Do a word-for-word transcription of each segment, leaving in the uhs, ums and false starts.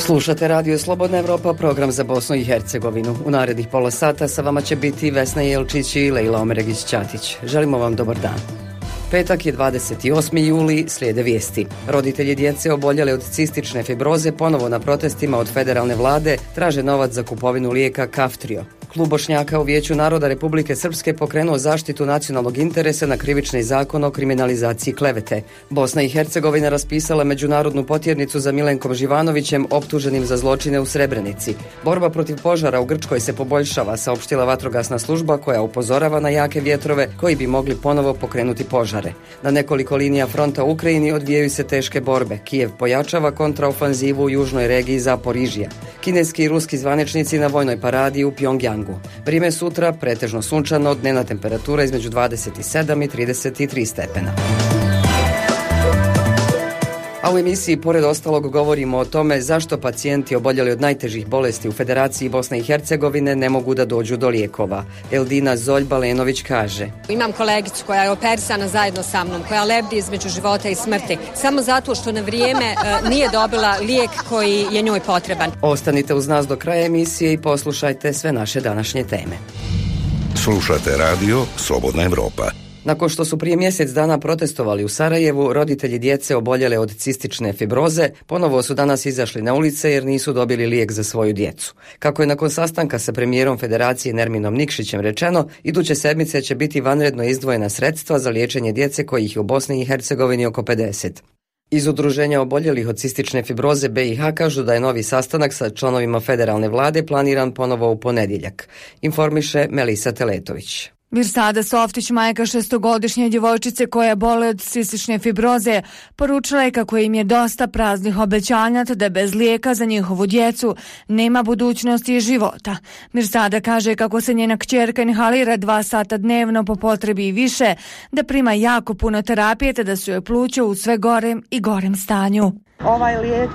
Slušate Radio Slobodna Evropa, program za Bosnu i Hercegovinu. U narednih pola sata sa vama će biti Vesna Jelčić i Lejla Omeregić-Ćatić. Želimo vam dobar dan. Petak je dvadeset osmi juli, slijede vijesti. Roditelji djece oboljele od cistične fibroze ponovo na protestima od federalne vlade traže novac za kupovinu lijeka Kaftrio. Klub Bošnjaka u Vijeću naroda Republike Srpske pokrenuo zaštitu nacionalnog interesa na krivični zakon o kriminalizaciji klevete. Bosna i Hercegovina raspisala međunarodnu potjernicu za Milenkom Živanovićem optuženim za zločine u Srebrenici. Borba protiv požara u Grčkoj se poboljšava, saopštila vatrogasna služba koja upozorava na jake vjetrove koji bi mogli ponovo pokrenuti požare. Na nekoliko linija fronta u Ukrajini odvijaju se teške borbe. Kijev pojačava kontraofanzivu u južnoj regiji Zaporižija. Kineski i ruski zvaničnici na vojnoj paradi u Pjongjangu. Vrijeme sutra pretežno sunčano, dnevna temperatura između dvadeset sedam i trideset tri stepena. A u emisiji pored ostalog govorimo o tome zašto pacijenti oboljeli od najtežih bolesti u Federaciji Bosne i Hercegovine ne mogu da dođu do lijekova. Eldina Zoljba-Lenović kaže: Imam kolegicu koja je operisana zajedno sa mnom, koja lebdi između života i smrti, samo zato što na vrijeme uh, nije dobila lijek koji je njoj potreban. Ostanite uz nas do kraja emisije i poslušajte sve naše današnje teme. Slušate Radio Slobodna Evropa. Nakon što su prije mjesec dana protestovali u Sarajevu, roditelji djece oboljele od cistične fibroze ponovo su danas izašli na ulice jer nisu dobili lijek za svoju djecu. Kako je nakon sastanka sa premijerom Federacije Nerminom Nikšićem rečeno, iduće sedmice će biti vanredno izdvojena sredstva za liječenje djece kojih je u Bosni i Hercegovini oko pedeset. Iz udruženja oboljelih od cistične fibroze B i H kažu da je novi sastanak sa članovima federalne vlade planiran ponovo u ponedjeljak, informiše Melisa Teletović. Mirsada Softić, majka šestogodišnje djevojčice koja boli od cistične fibroze, poručila je kako im je dosta praznih obećanja te da bez lijeka za njihovu djecu nema budućnosti i života. Mirsada kaže kako se njena kćerka inhalira dva sata dnevno po potrebi i više, da prima jako puno terapije te da su joj pluća u sve gorem i gorem stanju. Ovaj lijek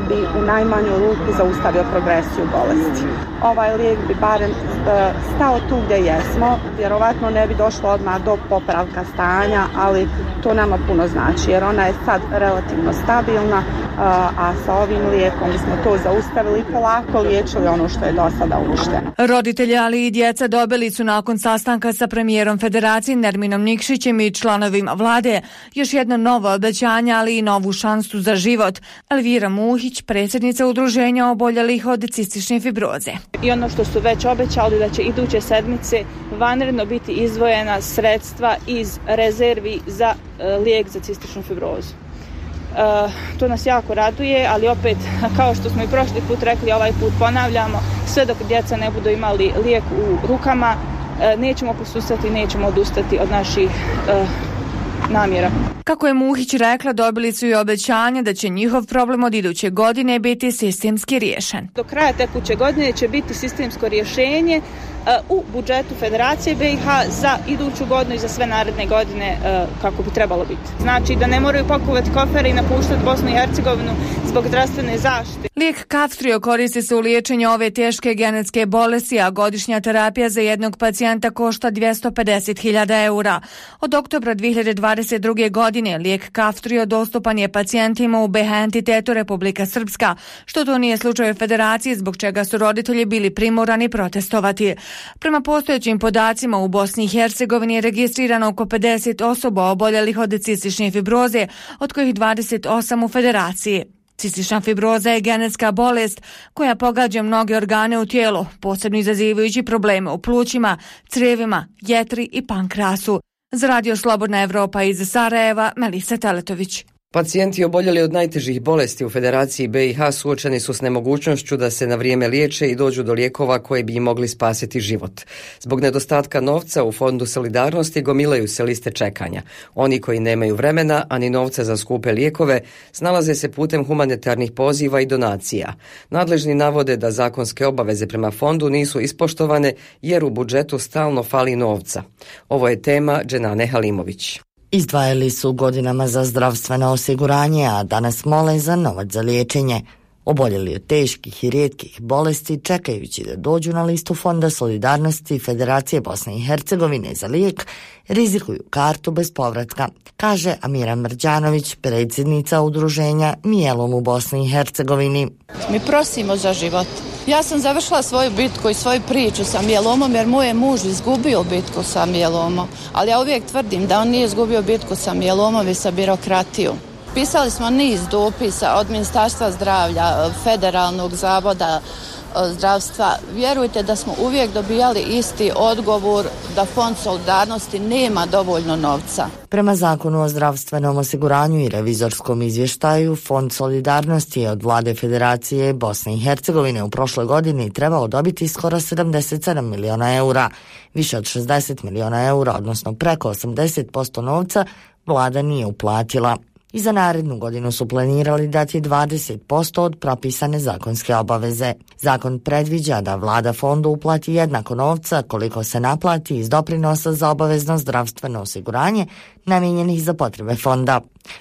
bi u najmanju ruku zaustavio progresiju bolesti. Ovaj lijek bi barem stao tu gdje jesmo, vjerovatno ne bi došlo odmah do popravka stanja, ali to nama puno znači jer ona je sad relativno stabilna, a sa ovim lijekom bismo to zaustavili i polako liječili ono što je do sada uništeno. Roditelji, ali i djeca dobili su nakon sastanka sa premijerom Federacije Nerminom Nikšićem i članovima vlade još jedno novo obećanje, ali i novu šansu za život. Elvira Muhić, predsjednica udruženja oboljelih od cistične fibroze. I ono što su već obećali da će iduće sedmice vanredno biti izdvojena sredstva iz rezervi za uh, lijek za cističnu fibrozu. Uh, to nas jako raduje, ali opet, kao što smo i prošli put rekli, ovaj put ponavljamo, sve dok djeca ne budu imali lijek u rukama, uh, nećemo posustati, nećemo odustati od naših uh, namjera. Kako je Muhić rekla, dobili su i obećanje da će njihov problem od iduće godine biti sistemski riješen. Do kraja tekuće godine će biti sistemsko rješenje uh, u budžetu Federacije B i H za iduću godinu i za sve naredne godine uh, kako bi trebalo biti. Znači da ne moraju pakovati kofere i napuštati Bosnu i Hercegovinu zbog zdravstvene zaštite. Lijek Kaftrio koristi se u liječenju ove teške genetske bolesti, a godišnja terapija za jednog pacijenta košta dvjesto pedeset hiljada eura. Od oktobra dvije hiljade dvadeset druge. godine lijek Kaftrio dostupan je pacijentima u B H entitetu Republika Srpska, što to nije slučaj u Federaciji, zbog čega su roditelji bili primorani protestovati. Prema postojećim podacima u Bosni i Hercegovini je registrirano oko pedeset osoba oboljelih od cistične fibroze, od kojih dvadeset osam u Federaciji. Cistična fibroza je genetska bolest koja pogađa mnoge organe u tijelu, posebno izazivajući probleme u plućima, crijevima, jetri i pankrasu. Za Radio Slobodna Evropa iz Sarajeva, Melisa Teletović. Pacijenti oboljeli od najtežih bolesti u Federaciji B i H suočeni su s nemogućnošću da se na vrijeme liječe i dođu do lijekova koji bi im mogli spasiti život. Zbog nedostatka novca u Fondu solidarnosti gomilaju se liste čekanja. Oni koji nemaju vremena, ani novca za skupe lijekove, snalaze se putem humanitarnih poziva i donacija. Nadležni navode da zakonske obaveze prema fondu nisu ispoštovane jer u budžetu stalno fali novca. Ovo je tema Dženane Halimović. Izdvajali su godinama za zdravstveno osiguranje, a danas mole za novac za liječenje. Oboljeli od teških i rijetkih bolesti, čekajući da dođu na listu Fonda solidarnosti Federacije Bosne i Hercegovine za lijek, rizikuju kartu bez povratka, kaže Amira Mrđanović, predsjednica udruženja Mijelom u Bosni i Hercegovini. Mi prosimo za život. Ja sam završila svoju bitku i svoju priču sa mijelomom jer moj je muž izgubio bitku sa mielomom, ali ja uvijek tvrdim da on nije izgubio bitku sa mielomom i sa birokratijom. Pisali smo niz dopisa od Ministarstva zdravlja, Federalnog zavoda zdravstva. Vjerujte da smo uvijek dobijali isti odgovor da Fond solidarnosti nema dovoljno novca. Prema Zakonu o zdravstvenom osiguranju i revizorskom izvještaju, Fond solidarnosti je od Vlade Federacije Bosne i Hercegovine u prošloj godini trebao dobiti skoro sedamdeset sedam miliona eura. Više od šezdeset miliona eura, odnosno preko osamdeset posto novca, vlada nije uplatila. I za narednu godinu su planirali dati dvadeset posto od propisane zakonske obaveze. Zakon predviđa da vlada fondu uplati jednako novca koliko se naplati iz doprinosa za obavezno zdravstveno osiguranje namijenjenih za potrebe fonda.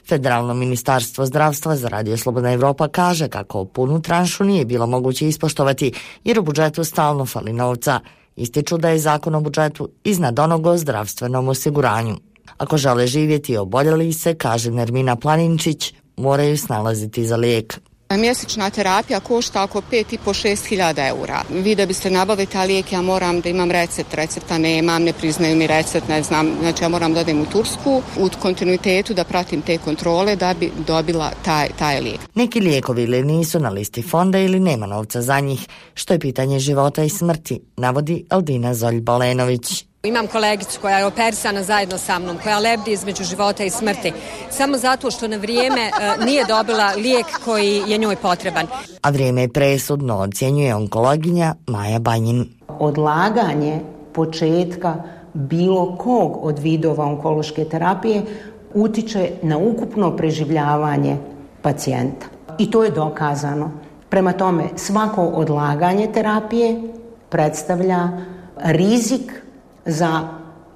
Federalno ministarstvo zdravstva za Radio Slobodna Evropa kaže kako punu tranšu nije bilo moguće ispoštovati jer u budžetu stalno fali novca. Ističu da je zakon o budžetu iznad onog o zdravstvenom osiguranju. Ako žele živjeti oboljeli se, kaže Nermina Planinčić, moraju snalaziti za lijek. Mjesečna terapija košta oko pet i po šest hiljada eura. Vi da biste nabavili taj lijek, ja moram da imam recept, recepta nemam, ne priznaju mi recept, ne znam, znači ja moram da odem u Tursku, u kontinuitetu da pratim te kontrole da bi dobila taj, taj lijek. Neki lijekovi ili nisu na listi fonda ili nema novca za njih, što je pitanje života i smrti, navodi Aldina Zolj-Balenović. Imam kolegicu koja je operisana zajedno sa mnom, koja lebdi između života i smrti, samo zato što na vrijeme e, nije dobila lijek koji je njoj potreban. A vrijeme je presudno, ocjenjuje onkologinja Maja Banjin. Odlaganje početka bilo kog od vidova onkološke terapije utiče na ukupno preživljavanje pacijenta. I to je dokazano. Prema tome, svako odlaganje terapije predstavlja rizik za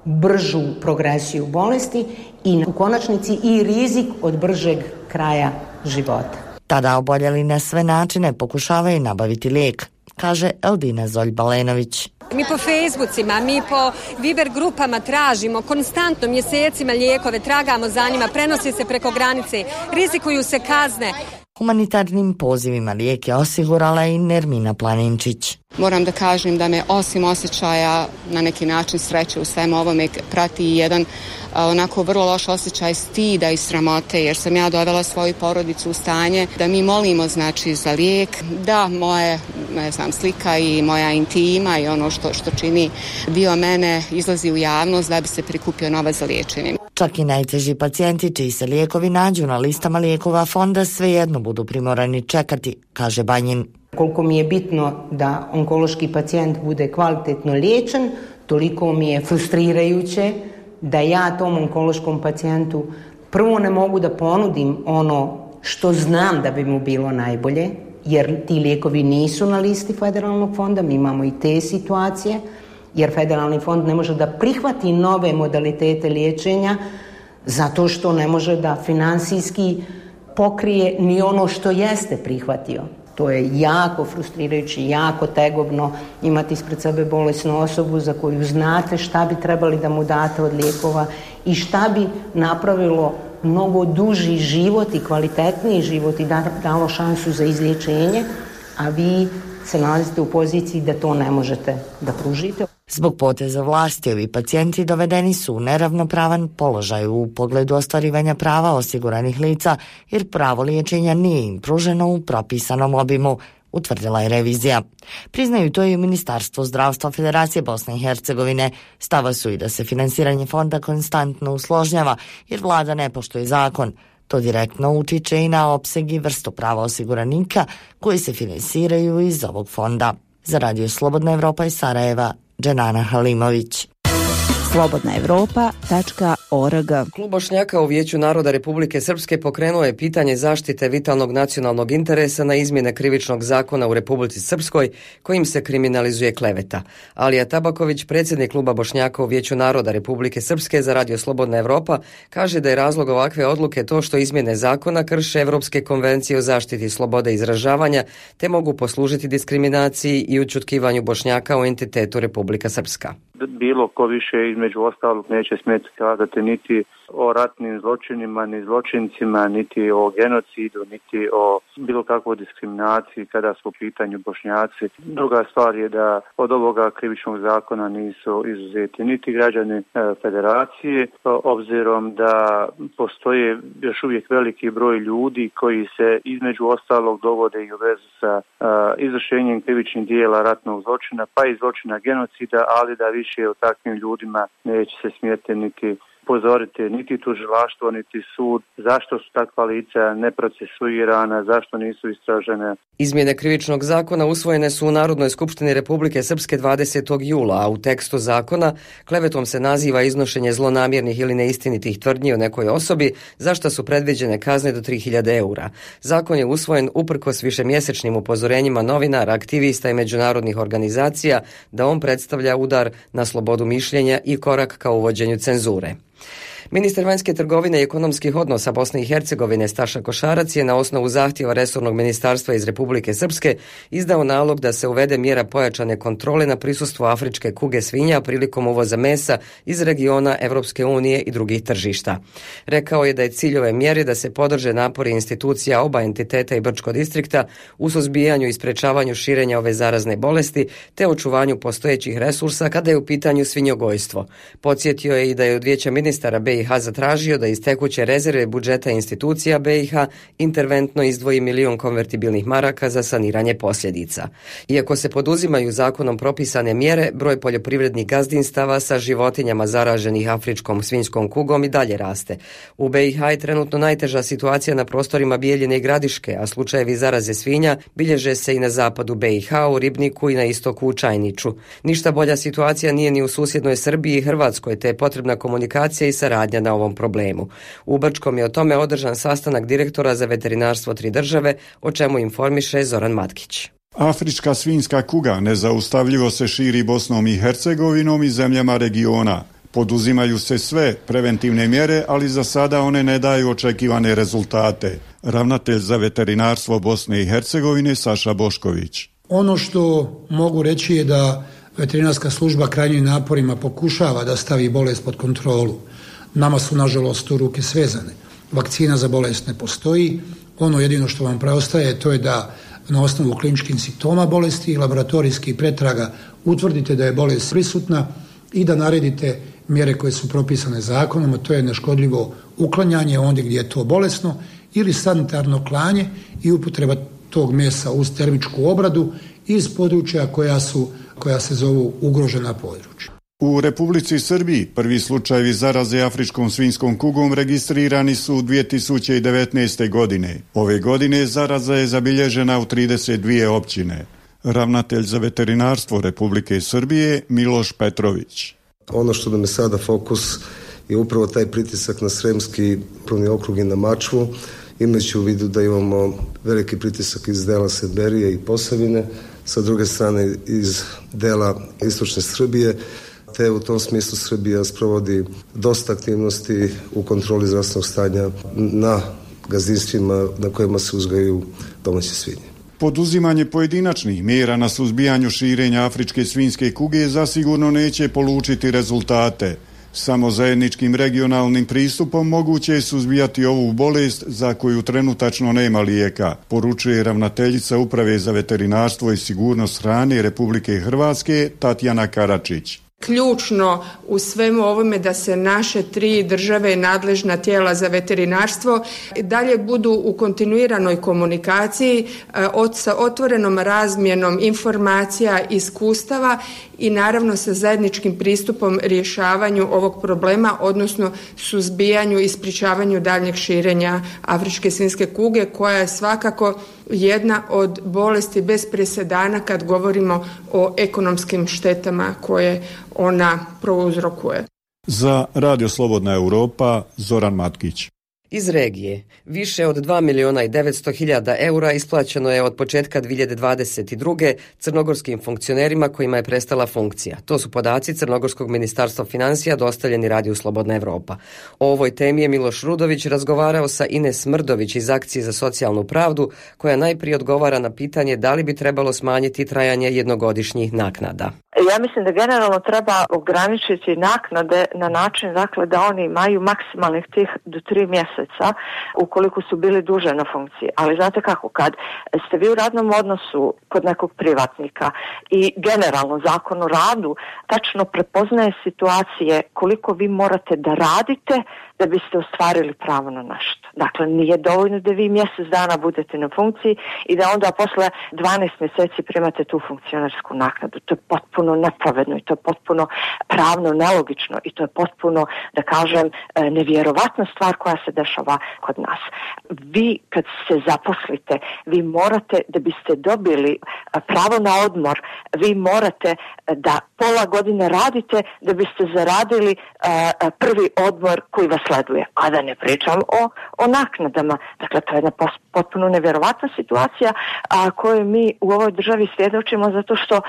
bržu progresiju bolesti i u konačnici i rizik od bržeg kraja života. Tada oboljeli na sve načine pokušavaju nabaviti lijek, kaže Eldina Zolj-Balenović. Mi po Facebookima, mi po Viber grupama tražimo konstantno mjesecima lijekove, tragamo za njima, prenosi se preko granice, rizikuju se kazne. Humanitarnim pozivima lijek je osigurala i Nermina Planinčić. Moram da kažem da me osim osjećaja na neki način sreće u svemu ovome prati jedan onako vrlo loš osjećaj stida i sramote, jer sam ja dovela svoju porodicu u stanje da mi molimo znači za lijek, da moje ne znam, slika i moja intima i ono što, što čini dio mene izlazi u javnost da bi se prikupio novac za liječenje. Čak i najteži pacijenti čiji se lijekovi nađu na listama lijekova fonda svejedno budu primorani čekati, kaže Banjin. Koliko mi je bitno da onkološki pacijent bude kvalitetno liječen, toliko mi je frustrirajuće da ja tom onkološkom pacijentu prvo ne mogu da ponudim ono što znam da bi mu bilo najbolje, jer ti lijekovi nisu na listi Federalnog fonda, mi imamo i te situacije, jer Federalni fond ne može da prihvati nove modalitete liječenja zato što ne može da finansijski pokrije ni ono što jeste prihvatio. To je jako frustrirajuće, jako tegobno imati ispred sebe bolesnu osobu za koju znate šta bi trebali da mu date od lijekova i šta bi napravilo mnogo duži život i kvalitetniji život i dalo šansu za izliječenje, a vi se nalazite u poziciji da to ne možete da pružite. Zbog poteza vlasti ovi pacijenti dovedeni su u neravnopravan položaj u pogledu ostvarivanja prava osiguranih lica jer pravo liječenja nije im pruženo u propisanom obimu, utvrdila je revizija. Priznaju to i Ministarstvo zdravstva Federacije Bosne i Hercegovine. Stava su i da se finansiranje fonda konstantno usložnjava jer vlada ne poštuje zakon. To direktno utiče i na opseg i vrstu prava osiguranika koji se finansiraju iz ovog fonda. Za Radio Slobodna Evropa iz Sarajeva, Dženana Halimović. slobodna evropa tačka org. Klub Bošnjaka u Vijeću naroda Republike Srpske pokrenuo je pitanje zaštite vitalnog nacionalnog interesa na izmjene krivičnog zakona u Republici Srpskoj kojim se kriminalizuje kleveta. Alija Tabaković, predsjednik Kluba Bošnjaka u Vijeću naroda Republike Srpske za Radio Slobodna Evropa, kaže da je razlog ovakve odluke to što izmjene zakona krše Evropske konvencije o zaštiti slobode izražavanja te mogu poslužiti diskriminaciji i ućutkivanju Bošnjaka u entitetu Republika Srpska. Bilo ko više između ostalog neće smjeti kazati niti o ratnim zločinima, ni zločincima, niti o genocidu, niti o bilo kakvoj diskriminaciji kada su u pitanju Bošnjaci. Druga stvar je da od ovoga krivičnog zakona nisu izuzeti niti građani federacije, obzirom da postoje još uvijek veliki broj ljudi koji se između ostalog dovode i u vezu sa izvršenjem krivičnih dijela ratnog zločina, pa i zločina genocida, ali da više o takvim ljudima neće se smjeti niti upozoriti niti tužilaštvo, niti sud, zašto su takva lica neprocesuirana, zašto nisu istražene. Izmjene krivičnog zakona usvojene su u Narodnoj skupštini Republike Srpske dvadesetog jula, a u tekstu zakona klevetom se naziva iznošenje zlonamjernih ili neistinitih tvrdnji o nekoj osobi, za što su predviđene kazne do tri hiljade eura. Zakon je usvojen uprkos višemjesečnim upozorenjima novinara, aktivista i međunarodnih organizacija da on predstavlja udar na slobodu mišljenja i korak ka uvođenju cenzure. Ministar vanjske trgovine i ekonomskih odnosa Bosne i Hercegovine Staša Košarac je na osnovu zahtjeva resornog ministarstva iz Republike Srpske izdao nalog da se uvede mjera pojačane kontrole na prisustvo afričke kuge svinja prilikom uvoza mesa iz regiona Evropske unije i drugih tržišta. Rekao je da je cilj ove mjere da se podrže napori institucija oba entiteta i Brčko distrikta u suzbijanju i sprečavanju širenja ove zarazne bolesti te očuvanju postojećih resursa kada je u pitanju svinjogojstvo. Podsjetio je i da je od Vijeća ministara B i H zatražio da iz tekuće rezerve budžeta institucija B i H interventno izdvoji milion konvertibilnih maraka za saniranje posljedica. Iako se poduzimaju zakonom propisane mjere, broj poljoprivrednih gazdinstava sa životinjama zaraženih afričkom svinjskom kugom i dalje raste. U B i H je trenutno najteža situacija na prostorima Bijeljine i Gradiške, a slučajevi zaraze svinja bilježe se i na zapadu B i H, u Ribniku i na istoku u Čajniču. Ništa bolja situacija nije ni u susjednoj Srbiji i Hrvatskoj, te je potrebna komunikacija i saradnja na ovom problemu. U Brčkom je o tome održan sastanak direktora za veterinarstvo tri države, o čemu informiše Zoran Matkić. Afrička svinjska kuga nezaustavljivo se širi Bosnom i Hercegovinom i zemljama regiona. Poduzimaju se sve preventivne mjere, ali za sada one ne daju očekivane rezultate. Ravnatelj za veterinarstvo Bosne i Hercegovine Saša Bošković. Ono što mogu reći je da veterinarska služba krajnjim naporima pokušava da stavi bolest pod kontrolu. Nama su, nažalost, tu ruke svezane. Vakcina za bolest ne postoji. Ono jedino što vam preostaje to je da na osnovu kliničkih simptoma bolesti i laboratorijskih pretraga utvrdite da je bolest prisutna i da naredite mjere koje su propisane zakonom, a to je neškodljivo uklanjanje ondje gdje je to bolesno ili sanitarno klanje i upotreba tog mesa uz termičku obradu iz područja koja su, koja se zovu ugrožena područja. U Republici Srbiji prvi slučajevi zaraze afričkom svinjskom kugom registrirani su u dvije tisuće devetnaeste. godine. Ove godine zaraza je zabilježena u trideset dvije općine. Ravnatelj za veterinarstvo Republike Srbije Miloš Petrović. Ono što nam je sada fokus je upravo taj pritisak na Sremski upravni okrug i na Mačvu, imajući u vidu da imamo veliki pritisak iz dela Sedberije i Posavine, sa druge strane iz dela istočne Srbije, te u tom smislu Srbija sprovodi dosta aktivnosti u kontroli zdravstvenog stanja na gazdinstvima na kojima se uzgajaju domaće svinje. Poduzimanje pojedinačnih mjera na suzbijanju širenja afričke svinjske kuge zasigurno neće polučiti rezultate. Samo zajedničkim regionalnim pristupom moguće je suzbijati ovu bolest za koju trenutačno nema lijeka, poručuje ravnateljica Uprave za veterinarstvo i sigurnost hrane Republike Hrvatske Tatjana Karačić. Ključno u svemu ovome da se naše tri države i nadležna tijela za veterinarstvo dalje budu u kontinuiranoj komunikaciji sa otvorenom razmjenom informacija, iskustava i naravno sa zajedničkim pristupom rješavanju ovog problema, odnosno suzbijanju i sprječavanju daljnjeg širenja afričke svinjske kuge, koja je svakako jedna od bolesti bez presedana kad govorimo o ekonomskim štetama koje ona prouzrokuje. Za Radio Slobodna Europa, Zoran Matkić. Iz regije. Više od dva miliona i devetsto hiljada eura isplaćeno je od početka dvije hiljade dvadeset druge. crnogorskim funkcionerima kojima je prestala funkcija. To su podaci Crnogorskog ministarstva financija dostavljeni Radiju Slobodna Evropa. O ovoj temi je Miloš Rudović razgovarao sa Ines Mrdović iz Akcije za socijalnu pravdu, koja najprije odgovara na pitanje da li bi trebalo smanjiti trajanje jednogodišnjih naknada. Ja mislim da generalno treba ograničiti naknade na način dakle, da oni imaju maksimalnih tih do tri mjeseca ukoliko su bili duže na funkciji. Ali znate kako, kad ste vi u radnom odnosu kod nekog privatnika i generalno zakon o radu tačno prepoznaje situacije koliko vi morate da radite da biste ostvarili pravo na nešto. Dakle, nije dovoljno da vi mjesec dana budete na funkciji i da onda posle dvanaest mjeseci primate tu funkcionersku naknadu. To je potpuno nepravedno i to je potpuno pravno nelogično i to je potpuno, da kažem, nevjerovatna stvar koja se dešava kod nas. Vi kad se zaposlite, vi morate, da biste dobili pravo na odmor, vi morate da pola godine radite da biste zaradili prvi odmor koji vas sleduje, a da ne pričam o, o naknadama. Dakle, to je jedna potpuno nevjerovatna situacija a, koju mi u ovoj državi svjedočimo zato što e,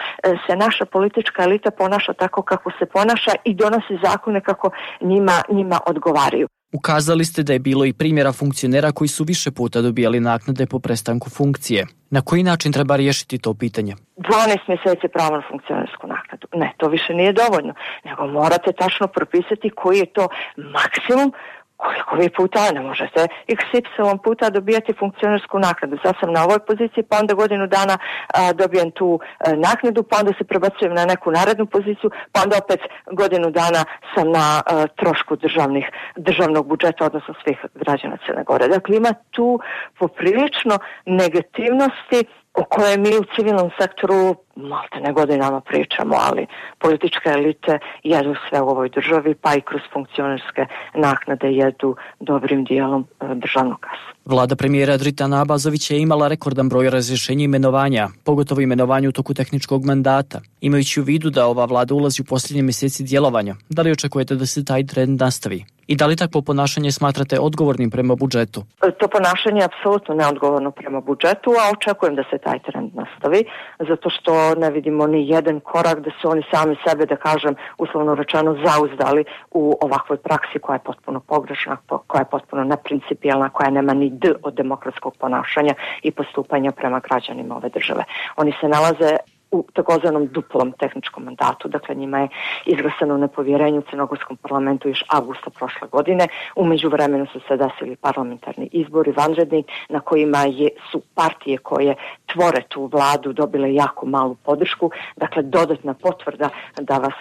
se naša politička elita ponaša tako kako se ponaša i donosi zakone kako njima, njima odgovaraju. Ukazali ste da je bilo i primjera funkcionera koji su više puta dobijali naknade po prestanku funkcije. Na koji način treba riješiti to pitanje? dvanaest mjeseci pravo na funkcionersku naknadu. Ne, to više nije dovoljno. Nego morate tačno propisati koji je to maksimum koliko vi puta, ne možete iks ipsilon puta dobijati funkcionersku naknadu. Sad sam na ovoj poziciji, pa onda godinu dana a, dobijem tu a, naknadu, pa onda se prebacujem na neku narednu poziciju, pa onda opet godinu dana sam na a, trošku državnih, državnog budžeta, odnosno svih građana Crne Gore. Dakle, ima tu poprilično negativnosti o kojoj mi u civilnom sektoru malte ne godinama pričamo, ali političke elite jedu sve u ovoj državi, pa i kroz funkcionerske naknade jedu dobrim dijelom državnog kasa. Vlada premijera Dritana Abazovića je imala rekordan broj razrješenja i imenovanja, pogotovo imenovanja u toku tehničkog mandata. Imajući u vidu da ova vlada ulazi u posljednje mjeseci djelovanja, da li očekujete da se taj trend nastavi? I da li takvo ponašanje smatrate odgovornim prema budžetu? To ponašanje je apsolutno neodgovorno prema budžetu, a očekujem da se taj trend nastavi, zato što ne vidimo ni jedan korak da su oni sami sebe, da kažem, uslovno rečeno, zauzdali u ovakvoj praksi koja je potpuno pogrešna, koja je potpuno neprincipijelna, koja nema ni d od demokratskog ponašanja i postupanja prema građanima ove države. Oni se nalaze u takozvanom duplom tehničkom mandatu, dakle njima je izglasano nepovjerenje u Crnogorskom parlamentu još avgusta prošle godine. U međuvremenu su se desili parlamentarni izbori vanredni na kojima je, su partije koje tvore tu vladu dobile jako malu podršku, dakle dodatna potvrda da vas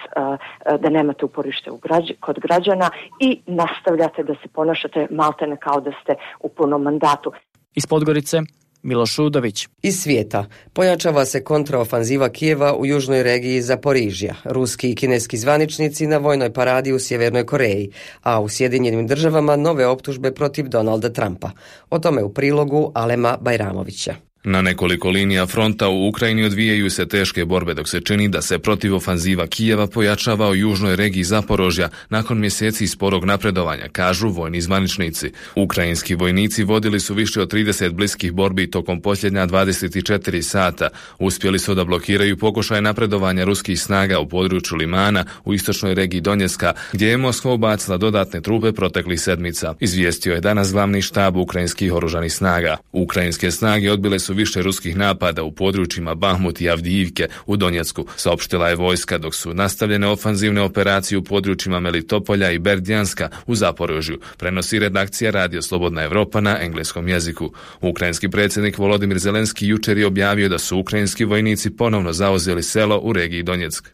da nemate uporište u građ, kod građana i nastavljate da se ponašate maltene kao da ste u punom mandatu. Iz Podgorice Miloš Rudović. Iz svijeta pojačava se kontraofanziva Kijeva u južnoj regiji Zaporižja. Ruski i kineski zvaničnici na vojnoj paradi u Sjevernoj Koreji, a u Sjedinjenim državama nove optužbe protiv Donalda Trumpa. O tome u prilogu Alema Bajramovića. Na nekoliko linija fronta u Ukrajini odvijaju se teške borbe dok se čini da se protivofanziva Kijeva pojačava u južnoj regiji Zaporožja nakon mjeseci sporog napredovanja, kažu vojni zvaničnici. Ukrajinski vojnici vodili su više od trideset bliskih borbi tokom posljednja dvadeset četiri sata. Uspjeli su da blokiraju pokušaj napredovanja ruskih snaga u području Limana u istočnoj regiji Donjecka, gdje je Moskva ubacila dodatne trupe proteklih sedmica. Izvijestio je danas glavni štab ukrajinskih oružanih snaga. Ukrajinske snage odbile su više ruskih napada u područjima Bahmut i Avdijivke u Donjecku, saopštila je vojska, dok su nastavljene ofanzivne operacije u područjima Melitopolja i Berdjanska u Zaporožju, prenosi redakcija Radio Slobodna Evropa na engleskom jeziku. Ukrajinski predsjednik Volodimir Zelenski jučer je objavio da su ukrajinski vojnici ponovno zauzeli selo u regiji Donjeck.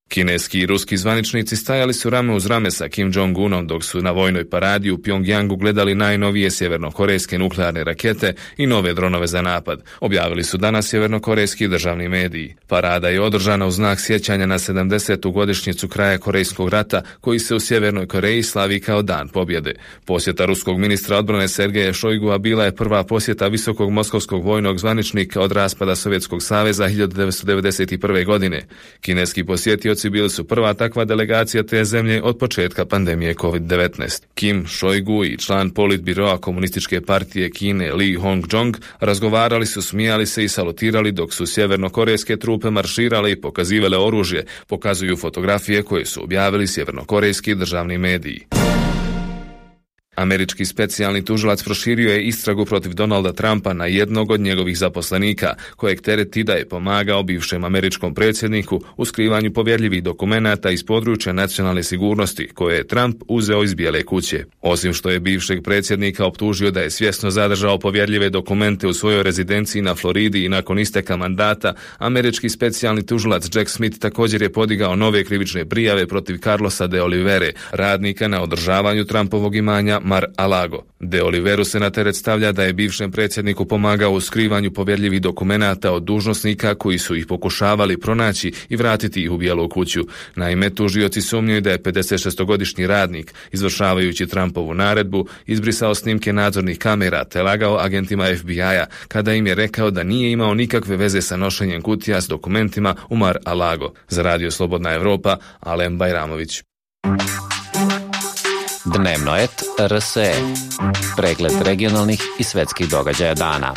Kineski i ruski zvaničnici stajali su rame uz rame sa Kim Jong-unom dok su na vojnoj paradi u Pjongjangu gledali najnovije sjevernokorejske nuklearne rakete i nove dronove za napad, objavili su danas sjevernokorejski državni mediji. Parada je održana u znak sjećanja na sedamdesetu godišnjicu kraja Korejskog rata, koji se u Sjevernoj Koreji slavi kao Dan pobjede. Posjeta ruskog ministra odbrane Sergeja Šojgua bila je prva posjeta visokog moskovskog vojnog zvaničnika od raspada Sovjetskog saveza hiljadu devetsto devedeset prve. godine. Kineski posjetioci Turci bili su prva takva delegacija te zemlje od početka pandemije kovid devetnaest. Kim Šojgu i član politbiroa komunističke partije Kine Lee Hong-jong razgovarali su, smijali se i salutirali dok su sjevernokorejske trupe marširale i pokazivale oružje, pokazuju fotografije koje su objavili sjevernokorejski državni mediji. Američki specijalni tužilac proširio je istragu protiv Donalda Trumpa na jednog od njegovih zaposlenika, kojeg tereti da je pomagao bivšem američkom predsjedniku u skrivanju povjerljivih dokumenata iz područja nacionalne sigurnosti koje je Trump uzeo iz Bijele kuće. Osim što je bivšeg predsjednika optužio da je svjesno zadržao povjerljive dokumente u svojoj rezidenciji na Floridi i nakon isteka mandata, američki specijalni tužilac Jack Smith također je podigao nove krivične prijave protiv Carlosa de Olivere, radnika na održavanju Trumpovog imanja Mar-a-Lago. De Oliveru se na teret stavlja da je bivšem predsjedniku pomagao u skrivanju povjerljivih dokumenata od dužnosnika koji su ih pokušavali pronaći i vratiti ih u Bijelu kuću. Naime, tužioci sumnjaju da je pedesetšestogodišnji radnik, izvršavajući Trumpovu naredbu, izbrisao snimke nadzornih kamera te lagao agentima F B I-a kada im je rekao da nije imao nikakve veze sa nošenjem kutija s dokumentima u Mar-a-Lago. Za Radio Slobodna Evropa, Alen Bajramović. Dnevno et R S E. Pregled regionalnih i svetskih događaja dana.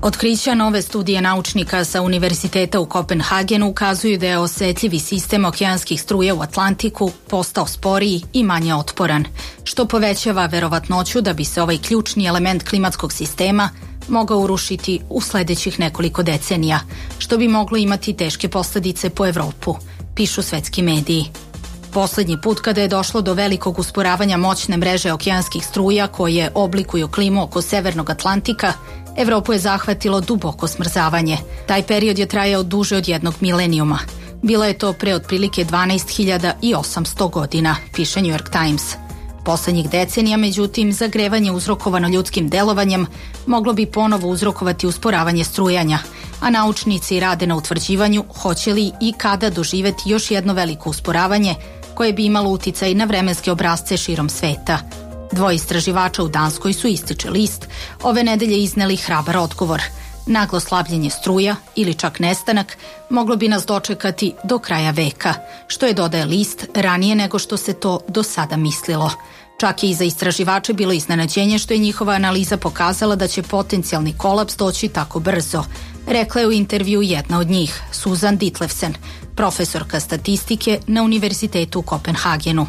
Otkrića nove studije naučnika sa Univerziteta u Kopenhagenu ukazuju da je osjetljivi sistem okeanskih struja u Atlantiku postao sporiji i manje otporan, što povećava verovatnoću da bi se ovaj ključni element klimatskog sistema mogao urušiti u sledećih nekoliko decenija, što bi moglo imati teške posljedice po Evropu, pišu svetski mediji. Poslednji put kada je došlo do velikog usporavanja moćne mreže okeanskih struja koje oblikuju klimu oko Severnog Atlantika, Evropu je zahvatilo duboko smrzavanje. Taj period je trajao duže od jednog milenijuma. Bilo je to pre otprilike dvanaest hiljada osamsto godina, piše New York Times. Poslednjih decenija, međutim, zagrevanje uzrokovano ljudskim delovanjem moglo bi ponovo uzrokovati usporavanje strujanja, a naučnici rade na utvrđivanju hoće li i kada doživeti još jedno veliko usporavanje koje bi imalo uticaj na vremenske obrazce širom sveta. Dvoje istraživača u Danskoj su, ističe list, ove nedelje izneli hrabar odgovor. Naglo slabljenje struja ili čak nestanak moglo bi nas dočekati do kraja veka, što je, dodaje list, ranije nego što se to do sada mislilo. Čak je i za istraživače bilo iznenađenje što je njihova analiza pokazala da će potencijalni kolaps doći tako brzo, rekla je u intervju jedna od njih, Susan Ditlevsen, profesorka statistike na Univerzitetu u Kopenhagenu.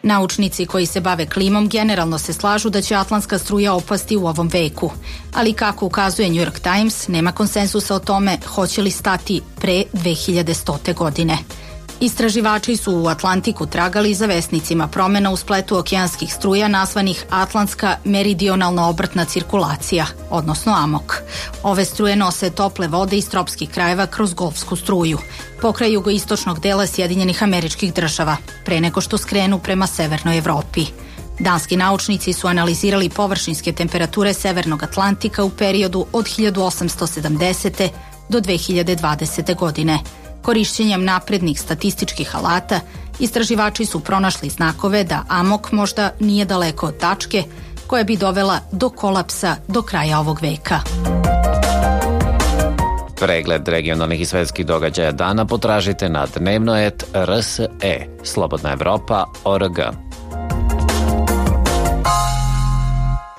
Naučnici koji se bave klimom generalno se slažu da će atlantska struja opasti u ovom veku, ali kako ukazuje New York Times, nema konsensusa o tome hoće li stati pre dve hiljade stote godine. Istraživači su u Atlantiku tragali za vesnicima promena u spletu okeanskih struja nazvanih Atlantska meridionalna obrtna cirkulacija, odnosno AMOK. Ove struje nose tople vode iz tropskih krajeva kroz Golfsku struju, pokraj jugoistočnog dela Sjedinjenih Američkih Država, pre nego što skrenu prema Severnoj Evropi. Danski naučnici su analizirali površinske temperature Severnog Atlantika u periodu od hiljadu osamsto sedamdesete do dve hiljade dvadesete godine. Korišćenjem naprednih statističkih alata, istraživači su pronašli znakove da AMOK možda nije daleko od tačke koja bi dovela do kolapsa do kraja ovog veka. Pregled regionalnih i svetskih događaja dana potražite na dnevno et R S E, Slobodna Evropa, O R G.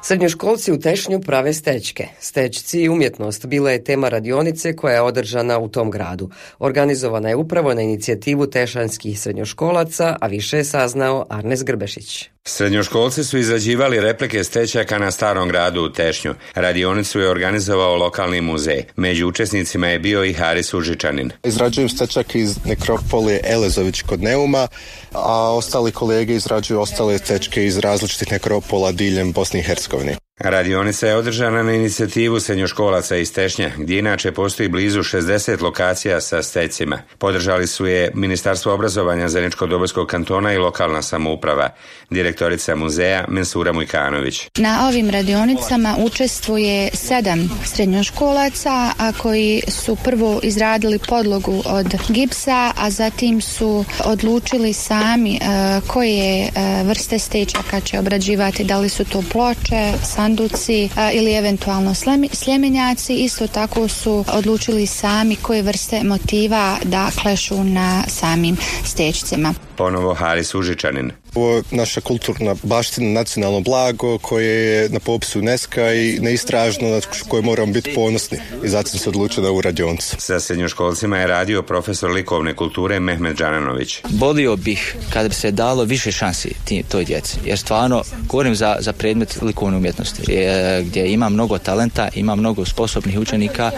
Srednjoškolci u Tešnju prave stečke. Stečci i umjetnost bila je tema radionice koja je održana u tom gradu. Organizovana je upravo na inicijativu tešanskih srednjoškolaca, a više je saznao Arnes Grbešić. Srednjoškolci su izrađivali replike stečaka na Starom gradu u Tešnju. Radionicu je organizovao lokalni muzej. Među učesnicima je bio i Haris Užičanin. Izrađujem stečak iz nekropolije Elezović kod Neuma, a ostali kolege izrađuju ostale stečke iz različitih nekropola diljem Bosne i Hercegovine. Radionica je održana na inicijativu srednjoškolaca iz Tešnja, gdje inače postoji blizu šezdeset lokacija sa stečcima. Podržali su je Ministarstvo obrazovanja Zeničko-Dobojskog kantona i lokalna samouprava. Direktorica muzeja Mensura Mujkanović. Na ovim radionicama učestvuje sedam srednjoškolaca, a koji su prvo izradili podlogu od gipsa, a zatim su odlučili sami uh, koje uh, vrste stečaka će obrađivati, da li su to ploče, sanduci ili eventualno sljemenjaci. Isto tako su odlučili sami koje vrste motiva da klešu na samim stećcima. Ponovo Haris Užičanin. Ovo je naša kulturna baština, nacionalno blago koje je na popisu UNESCO-a i neistražno, na koje moramo biti ponosni. I zato sam se odlučio da u radionicu. Sa srednjoškolcima je radio profesor likovne kulture Mehmet Džananović. Bolio bih kada bi se dalo više šansi toj djeci. Jer stvarno govorim za, za predmet likovne umjetnosti je, gdje ima mnogo talenta, ima mnogo sposobnih učenika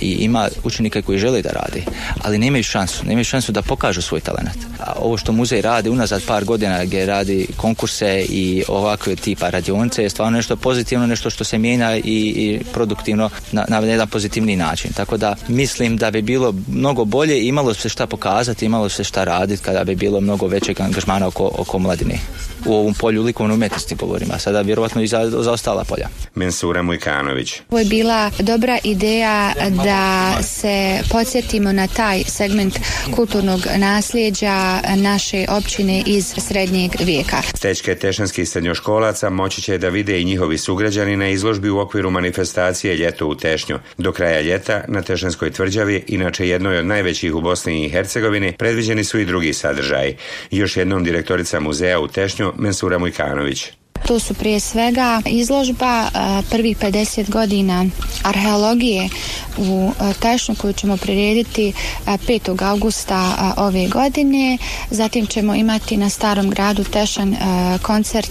i ima učenika koji žele da radi, ali nemaju šansu, nemaju šansu da pokažu svoj talent. A ovo što muzej radi unazad par godina gdje radi konkurse i ovakve tipa radionice je stvarno nešto pozitivno, nešto što se mijenja i, i produktivno na, na jedan pozitivni način. Tako da mislim da bi bilo mnogo bolje i imalo se šta pokazati, imalo se šta raditi kada bi bilo mnogo većeg angažmana oko, oko mladine. U ovom polju likovne umjetnosti govorim, a sada vjerovatno i za, za ostala polja. Mensura Mujkanović. Ovo je bila dobra ideja da se podsjetimo na taj segment kulturnog nasljeđa naše općine iz srednjeg vijeka. Stećke tešanskih srednjoškolaca moći će da vide i njihovi sugrađani na izložbi u okviru manifestacije Ljeto u Tešnju. Do kraja ljeta na Tešanskoj tvrđavi, inače jednoj od najvećih u Bosni i Hercegovini, predviđeni su i drugi sadržaji. Još jednom direktorica muzeja u Tešnju Mensura Mujkanović. To su prije svega izložba prvih pedeset godina arheologije u Tešnju koju ćemo prirediti petog augusta ove godine. Zatim ćemo imati na Starom gradu Tešan koncert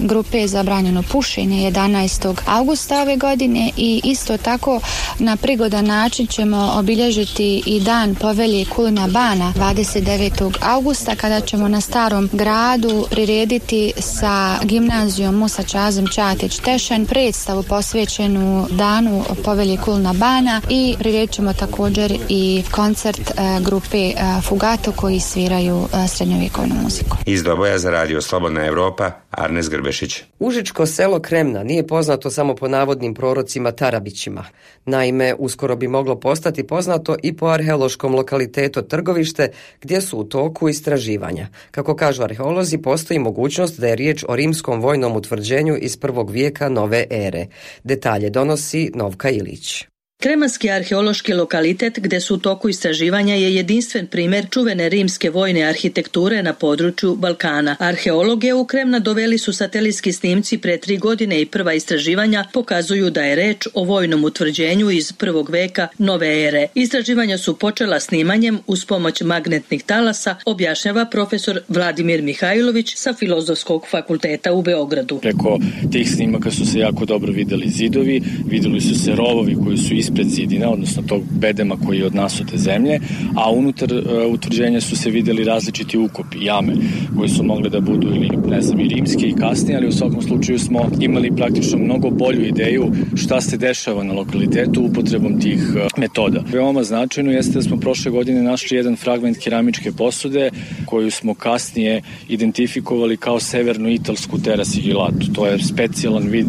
grupe Zabranjeno pušenje jedanaestog augusta ove godine i isto tako na prigodan način ćemo obilježiti i dan Povelje Kulina Bana dvadeset devetog augusta kada ćemo na Starom gradu prirediti sa gimnazijom Musa Čazim Čatić Tešan predstavu posvećenu danu Povelje Kulina Bana i priredit ćemo također i koncert uh, grupe uh, Fugato koji sviraju uh, srednjovjekovnu muziku. Iz Doboja za radio Slobodna Evropa, Arnes Grbešić. Užičko selo Kremna nije poznato samo po navodnim prorocima Tarabićima. Naime, uskoro bi moglo postati poznato i po arheološkom lokalitetu Trgovište, gdje su u toku istraživanja. Kako kažu arheolozi, postoji mogućnost da je riječ o rimskom vojnom utvrđenju iz prvog vijeka nove ere. Detalje donosi Novka Ilić. Kremanski arheološki lokalitet gdje su u toku istraživanja je jedinstven primjer čuvene rimske vojne arhitekture na području Balkana. Arheologe u Kremna doveli su satelitski snimci pre tri godine i prva istraživanja pokazuju da je reč o vojnom utvrđenju iz prvog veka nove ere. Istraživanja su počela snimanjem uz pomoć magnetnih talasa, objašnjava profesor Vladimir Mihajlović sa Filozofskog fakulteta u Beogradu. Preko tih snimaka su se jako dobro vidjeli zidovi, vidjeli su se rovovi koji su ispred zidina, odnosno tog bedema koji je od nasute zemlje, a unutar uh, utvrđenja su se vidjeli različiti ukopi, jame, koji su mogli da budu ili ne znam i rimske i kasnije, ali u svakom slučaju smo imali praktično mnogo bolju ideju šta se dešava na lokalitetu upotrebom tih uh, metoda. Veoma značajno jeste da smo prošle godine našli jedan fragment keramičke posude koju smo kasnije identifikovali kao severno-italsku terasigilatu. To je specijalan vid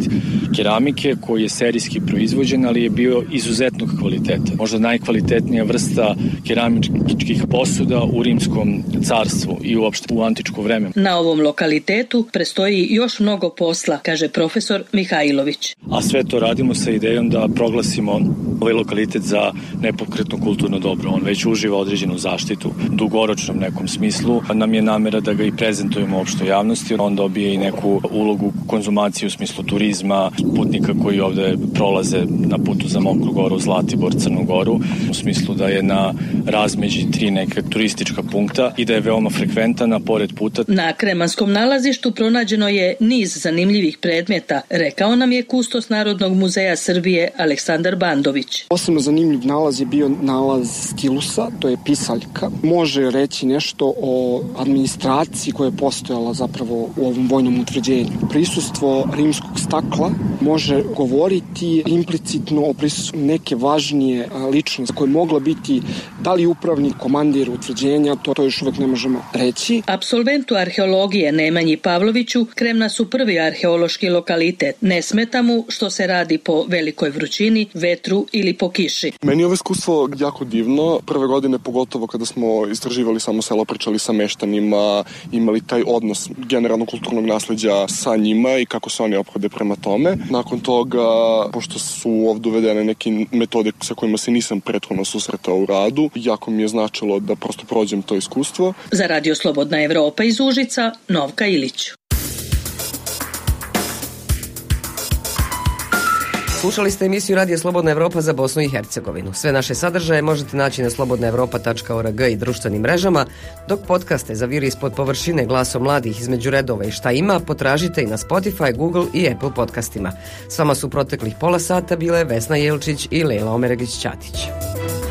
keramike koji je serijski proizvođen, ali je bio izuzetnog kvaliteta. Možda najkvalitetnija vrsta keramičkih posuda u Rimskom carstvu i uopšte u antičko vreme. Na ovom lokalitetu prestoji još mnogo posla, kaže profesor Mihajlović. A sve to radimo sa idejom da proglasimo ovaj lokalitet za nepokretno kulturno dobro. On već uživa određenu zaštitu. U dugoročnom nekom smislu nam je namjera da ga i prezentujemo opštoj javnosti. On dobije i neku ulogu konzumacije u smislu turizma, putnika koji ovde prolaze na putu za Mokru Goru, Zlatibor, Crnu Goru, u smislu da je na razmeđi tri neke turistička punkta i da je veoma frekventana pored puta. Na Kremanskom nalazištu pronađeno je niz zanimljivih predmeta, rekao nam je kustos Narodnog muzeja Srbije Aleksandar Bandović. Posebno zanimljiv nalaz je bio nalaz stilusa, to je pisaljka. Može reći nešto o administraciji koja je postojala zapravo u ovom vojnom utvrđenju. Prisustvo rimskog stakla može govoriti implicitno o prisustvu neke važnije ličnosti koja je mogla biti Da li upravnik, komandir utvrđenja, to, to još uvek ne možemo reći. Apsolventu arheologije Nemanji Pavloviću Kremna su prvi arheološki lokalitet. Ne smeta mu što se radi po velikoj vrućini, vetru ili po kiši. Meni je ovo iskustvo jako divno. Prve godine, pogotovo kada smo istraživali samo selo, pričali sa meštanima, imali taj odnos generalno kulturnog nasleđa sa njima i kako se oni ophode prema tome. Nakon toga, pošto su ovdje uvedene neke metode sa kojima se nisam prethodno susretao u radu, jako mi je značilo da prosto prođem to iskustvo. Za Radio Slobodna Evropa iz Užica, Novka Ilić. Slušali ste emisiju Radio Slobodna Evropa za Bosnu i Hercegovinu. Sve naše sadržaje možete naći na slobodna evropa tačka org i društvenim mrežama, dok podcaste za Vir ispod površine, Glasom mladih, Između redova i Šta ima potražite i na Spotify, Google i Apple podcastima. S vama su proteklih pola sata bile Vesna Jelčić i Lejla Omeregić-Ćatić.